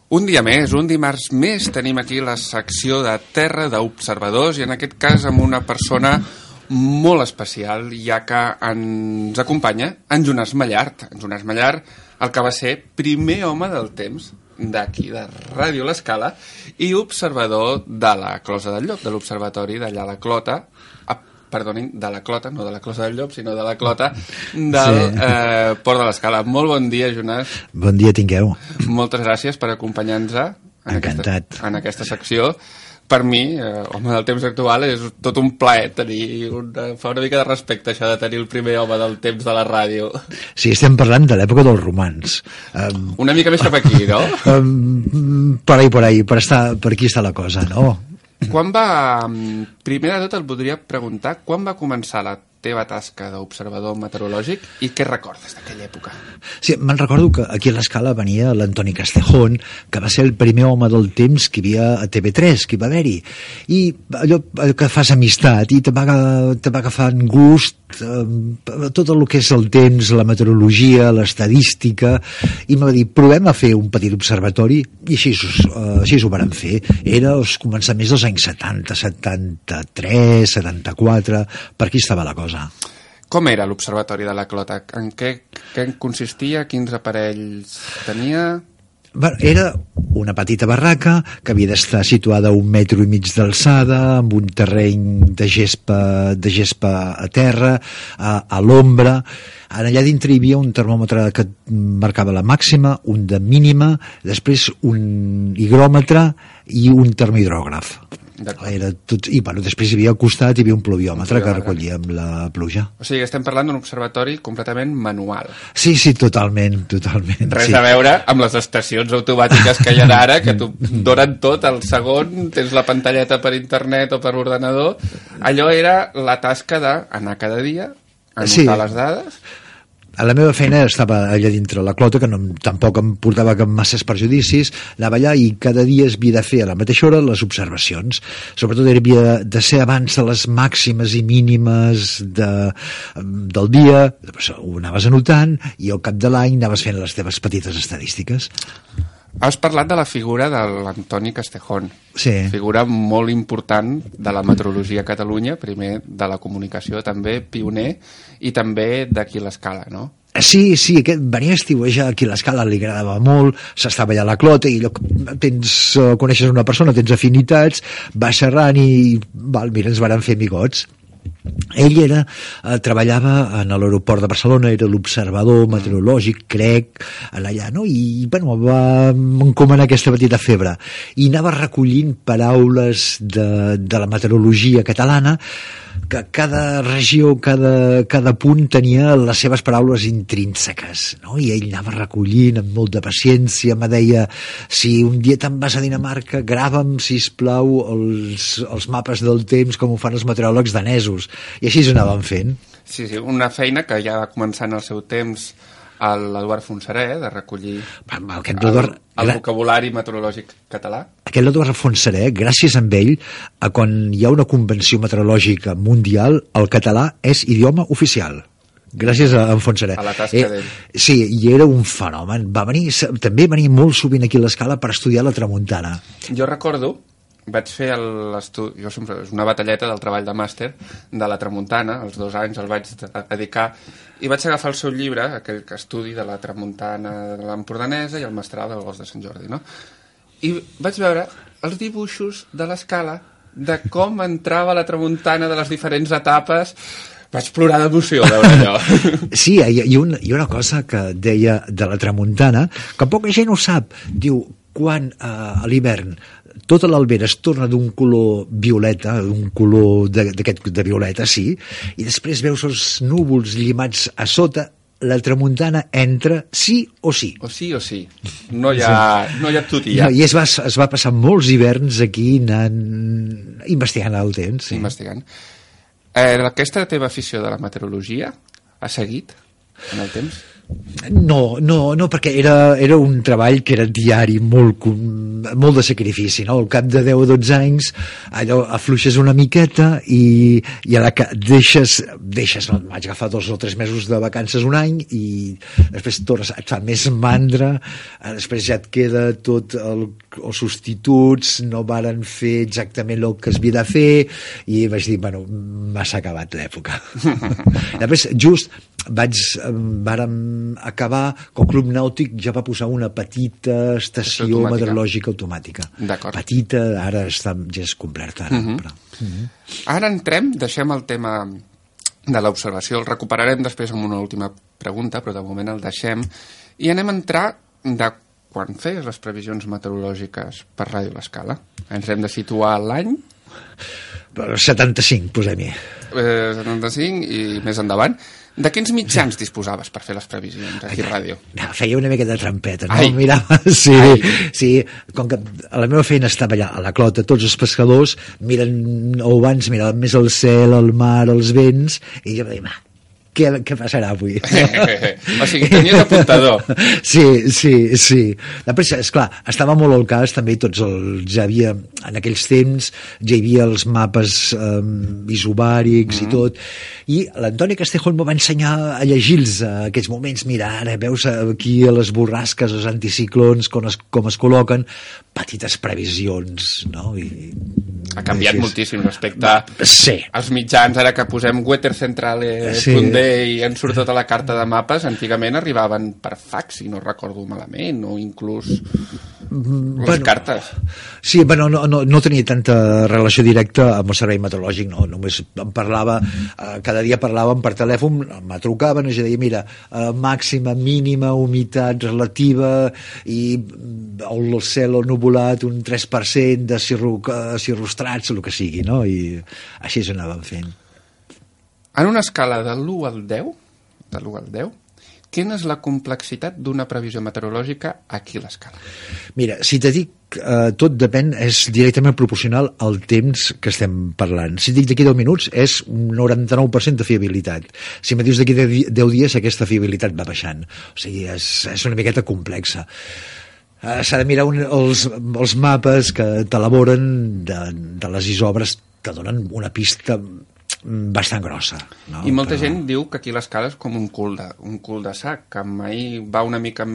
Un dia més, un dimarts més, tenim aquí la secció de Terra d'Observadors i en aquest cas amb una persona molt especial, ja que ens acompanya en Jonàs Mallart. En Jonàs Mallart, el que va ser primer home del temps d'aquí, de Ràdio L'Escala, i observador de la Closa del Llop, de l'observatori d'allà a la Clota, perdonin, de la Clota, no de la Closa del Llop, sinó de la Clota del Port de l'Escala. Molt bon dia, Jonàs. Bon dia tingueu. Moltes gràcies per acompanyar-nos Encantat. en aquesta secció. Per mi, home del temps actual, és tot un plaer fa una mica de respecte això de tenir el primer home del temps de la ràdio. Sí, estem parlant de l'època dels romans. Una mica més cap aquí, no? Per ahí, per aquí està la cosa, no? Quan va... Primer de tot et voldria preguntar quan va començar la teva tasca d'observador meteorològic i què recordes d'aquella època? Sí, me'n recordo que aquí a l'Escala venia l'Antoni Castejón, que va ser el primer home del temps que hi havia a TV3, que hi va haver-hi. I allò que fas amistat i te va agafar gust tot el que és el temps, la meteorologia, l'estadística, i em va dir, provem a fer un petit observatori, i així ho vàrem fer. Era els començaments dels anys 70, 73, 74, per aquí estava la cosa. Com era l'observatori de la Clota? En què consistia? Quins aparells tenia? Era una petita barraca que havia d'estar situada a 1,5 metres d'alçada, amb un terreny de gespa a terra, a l'ombra. Allà dintre hi havia un termòmetre que marcava la màxima, un de mínima, després un higròmetre i un termohidrògraf. Era tot, i després hi havia al costat hi havia un pluviòmetre que recollia amb la pluja. O sigui, estem parlant d'un observatori completament manual. Sí, totalment. Res a veure amb les estacions automàtiques que hi ha ara, que t'ho donen tot al segon, tens la pantalleta per internet o per ordenador. Allò era la tasca d'anar cada dia, anotar les dades. A la meva feina estava allà dintre la Clota, que tampoc em portava cap masses perjudicis, anava allà i cada dia es havia de fer a la mateixa hora les observacions. Sobretot havia de ser abans de les màximes i mínimes del dia, ho anaves anotant i al cap de l'any anaves fent les teves petites estadístiques. Has parlat de la figura de l'Antoni Castejón. Sí. Figura molt important de la meteorologia a Catalunya, primer de la comunicació, també pioner, i també d'aquí l'Escala, no? Sí, aquest venia a estiuejar aquí a l'Escala, li agradava molt, s'estava allà a la Clota i coneixes una persona, tens afinitats, vas xerrant i mira, ens vàrem fer amigots. Ell treballava en l'aeroport de Barcelona, era l'observador meteorològic, crec, allà, no? I va encomanar aquesta petita febre i anava recollint paraules de la meteorologia catalana, que cada regió, cada punt tenia les seves paraules intrínseques, no? I ell anava recollint amb molta paciència, me deia, si un dia te'n vas a Dinamarca, grava'm, sisplau, els mapes del temps com ho fan els meteoròlegs danesos, i així ho anàvem fent. Sí, una feina que ja va començar en el seu temps l'Eduard Fontserè, de recollir el vocabulari meteorològic català. Aquest l'Eduard Fontserè, gràcies a ell, quan hi ha una convenció meteorològica mundial, el català és idioma oficial. Gràcies a en Fontserè. A la tasca d'ell. Sí, i era un fenomen. També venia molt sovint aquí a l'Escala per estudiar la tramuntana. Jo recordo, vaig fer l'estudi, jo sempre, és una batalleta del treball de màster de la tramuntana, els 2 anys el vaig dedicar, i vaig agafar el seu llibre, aquell estudi de la tramuntana de l'Empordanesa i el mestral del Gos de Sant Jordi, no? I vaig veure els dibuixos de l'Escala, de com entrava la tramuntana de les diferents etapes. Vaig plorar d'emoció veure allò. Sí, hi ha una cosa que deia de la tramuntana, que poca gent ho sap. Diu, quan a l'hivern tota l'albera es torna d'un color violeta, d'un color de violeta, sí, i després veus els núvols llimats a sota, la tramuntana entra sí o sí. O sí. No hi ha tutia. I es va passar molts hiverns aquí anant investigant el temps. Sí. Investigant. Aquesta teva afició de la meteorologia ha seguit en el temps? No, perquè era un treball que era diari, molt de sacrifici, no? Al cap de 10 o 12 anys allò afluixes una miqueta i a la que deixes no, vaig agafar 2 o 3 mesos de vacances un any i després tornes, et fa més mandra, després ja et queda tot els substituts no varen fer exactament el que es havia de fer i vaig dir, bueno, m'ha acabat l'època. Després just vàrem acabar que el Club Nàutic ja va posar una petita estació meteorològica automàtica. Petita, ara ja és completa. Però... Ara deixem el tema de l'observació, el recuperarem després amb una última pregunta, però de moment el deixem, i anem a entrar de quan feies les previsions meteorològiques per Ràdio L'Escala. Ens hem de situar l'any? 75, posem-hi. 75 i més endavant. De quins mitjans disposaves per fer les previsions aquí a ràdio? Feia una mica de trampeta, no? Mirava, sí, com que a la meva feina estava allà a la Clota, tots els pescadors miren, o abans miraven més el cel, el mar, els vents, i jo em deia, què passarà avui? O sigui, tenies apuntador. Sí. Després, esclar, estava molt al cas, també ja havia, en aquells temps, ja hi havia els mapes isobàrics i tot, i l'Antoni Castejón m'ho va ensenyar a llegir-los a aquests moments. Mira, ara veus aquí a les borrasques, els anticiclons, com es col·loquen, petites previsions, no? Ha canviat moltíssim respecte als mitjans, ara que posem weathercentrale.de i ens surt tota la carta de mapes, antigament arribaven per fax, si no recordo malament, o inclús les cartes. Sí, bueno, no tenia tanta relació directa amb el servei meteorològic, no, només em parlava, cada dia parlàvem per telèfon, me trucaven i jo deia, mira, màxima, mínima, humitat relativa i el cel nuvolat un 3% de cirrostrats, el que sigui, no? I així es anàvem fent. En una escala de l'1 al 10, quina és la complexitat d'una previsió meteorològica aquí a l'Escala? Mira, si te dic, tot depèn, és directament proporcional al temps que estem parlant. Si dic d'aquí 10 minuts, és un 99% de fiabilitat. Si me dius d'aquí 10 dies, aquesta fiabilitat va baixant. O sigui, és una miqueta complexa. S'ha de mirar els mapes que t'elaboren de les isobres, que donen una pista bastant grossa, no? I molta gent diu que aquí l'Escala és com un cul de sac, que mai va una mica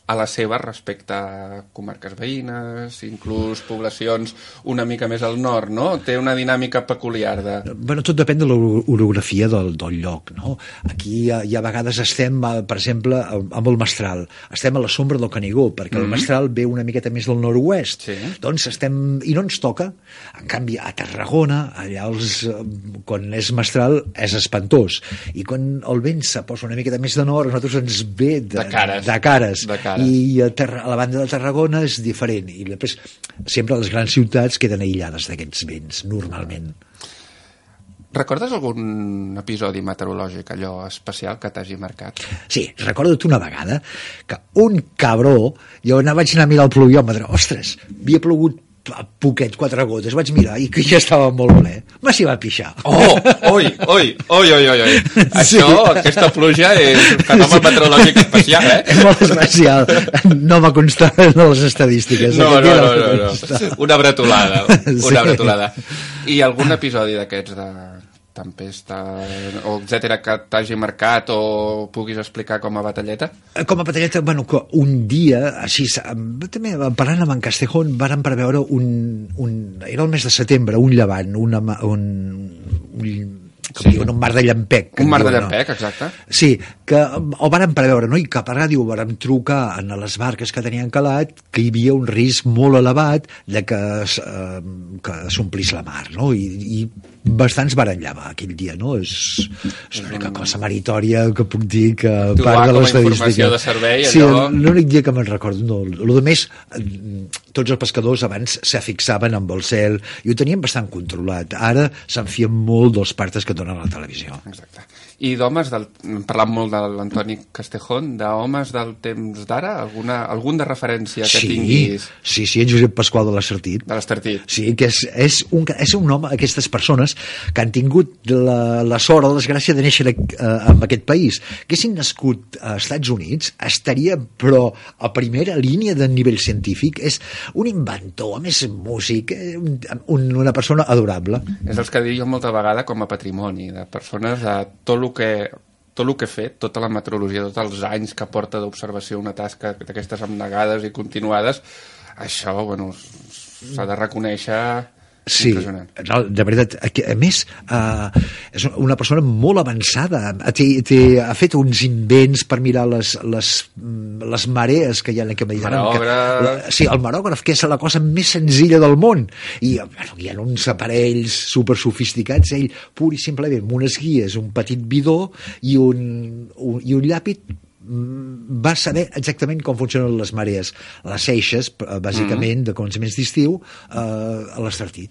a la seva respecte a comarques veïnes, inclús poblacions una mica més al nord, no? Té una dinàmica peculiar de... Bueno, tot depèn de l'orografia del lloc, no? Aquí hi ha vegades estem, per exemple, amb el Mestral. Estem a la sombra del Canigó, perquè el Mestral ve una miqueta més del nord-oest. Sí. Doncs i no ens toca. En canvi, a Tarragona, allà quan és Mestral, és espantós. I quan el vent se posa una miqueta més de nord, a nosaltres ens ve de cares. I a la banda de Tarragona és diferent, i després sempre les grans ciutats queden aïllades d'aquests vents, normalment. Recordes algun episodi meteorològic, allò especial que t'hagi marcat? Sí, recorda't una vegada que un cabró, jo vaig anar a mirar el pluviòmetre, ostres, havia plogut poquet, 4 gotes, vaig mirar i que ja estava molt ple, m'hi va pixar. Oi. Això, aquesta pluja és un fenomen meteorològic especial, És molt especial, no va constar en les estadístiques. No. Una bretolada. I algun episodi d'aquests de tempesta, o etcètera, que t'hagi marcat o puguis explicar com a batalleta? Com a batalleta, bueno, que un dia, així, també parlant amb en Castejón, vàrem preveure era el mes de setembre, un llevant, un mar de llampec. Un mar de llampec, exacte. Sí, que el vàrem preveure, no? I cap a ràdio vàrem trucar a les barques que tenien calat que hi havia un risc molt elevat de que s'omplís la mar, no? I bastants varen llevar aquell dia, no? És l'única cosa meritòria que puc dir que part de l'estadística. Com a informació de servei, allò... Sí, l'únic dia que me'n recordo. No, el de més, tots els pescadors abans se fixaven amb el cel i ho tenien bastant controlat. Ara s'enfien molt dels partes que donen a la televisió. Exacte. I d'homes, hem parlat molt de l'Antoni Castejón, d'homes del temps d'ara? Algun de referència que tinguis? Sí, en Josep Pasqual de l'Estartit. De l'Estartit. Sí, que és un home, aquestes persones que han tingut la sort o la desgràcia de néixer en aquest país. Que haguessin nascut als Estats Units, estaria, però, a primera línia de nivell científic. És un inventor, a més músic, una persona adorable. És els que dic jo molta vegada com a patrimoni, de persones de tot el que he fet, tota la meteorologia, tots els anys que porta d'observació una tasca d'aquestes abnegades i continuades, això, bueno, s'ha de reconèixer. Sí, de veritat, a més és una persona molt avançada, ha fet uns invents per mirar les marees que hi ha en aquest Mediterrani. Sí, el marògraf, que és la cosa més senzilla del món, i hi ha uns aparells super sofisticats, ell pur i simplement amb unes guies, un petit bidó i un llapis va saber exactament com funcionen les marees, les seixes, bàsicament, de començaments d'estiu, a l'Estartit.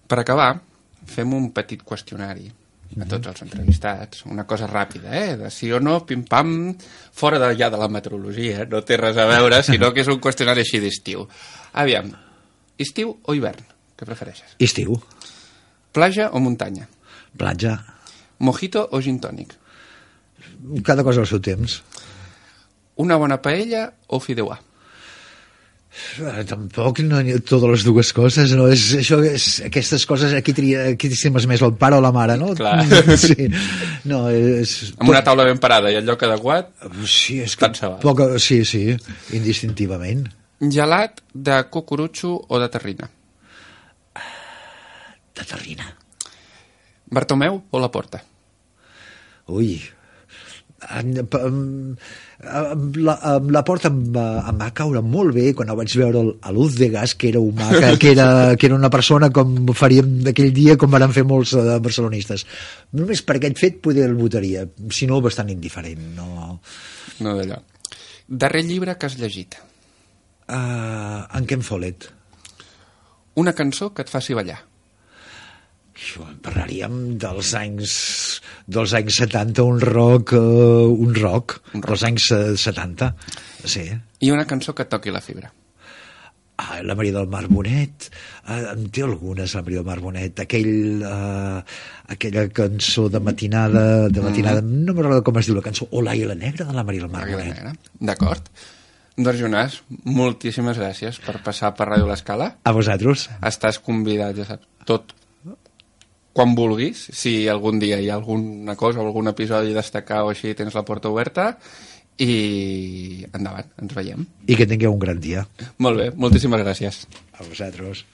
Per acabar, fem un petit qüestionari a tots els entrevistats, una cosa ràpida, de sí o no, pim-pam, fora ja de la meteorologia, no té res a veure, sinó que és un qüestionari així d'estiu. Aviam, estiu o hivern? Què prefereixes? Estiu. Platja o muntanya? Platja. Mojito o gin tònic? Cada cosa al seu temps. Una bona paella o fideuà? Tampoc no hi ha totes les dues coses, no? Aquestes coses aquí estimes més el pare o la mare, no? Clar. Sí. No, amb una taula ben parada i el lloc adequat, sí, és que sí, indistintivament. Gelat de cucurutxo o de terrina? De terrina. Bartomeu o la Porta? Ui, la Porta em va caure molt bé quan ho vaig veure a Lúzdegas, que era humà, que era una persona com faríem d'aquell dia, com van fer molts barcelonistes. Només per aquest fet poder el votaria, si no bastant indiferent. No d'allò. Darrer llibre que has llegit? En Ken Follett. Una cançó que et faci ballar? Parlaríem dels anys 70, un rock dels anys 70, sí. I una cançó que et toqui la fibra? La Maria del Mar Bonet, en té algunes, la Maria del Mar Bonet, aquella cançó de matinada, no m'agrada com es diu la cançó, o l'Àguila Negra de la Maria del Mar Bonet. D'acord. Doncs, Jonàs, moltíssimes gràcies per passar per Ràdio L'Escala. A vosaltres. Estàs convidat, ja saps, tot quan vulguis, si algun dia hi ha alguna cosa, algun episodi a destacar o així, tens la porta oberta, i endavant, ens veiem. I que tingueu un gran dia. Molt bé, moltíssimes gràcies. A vosaltres.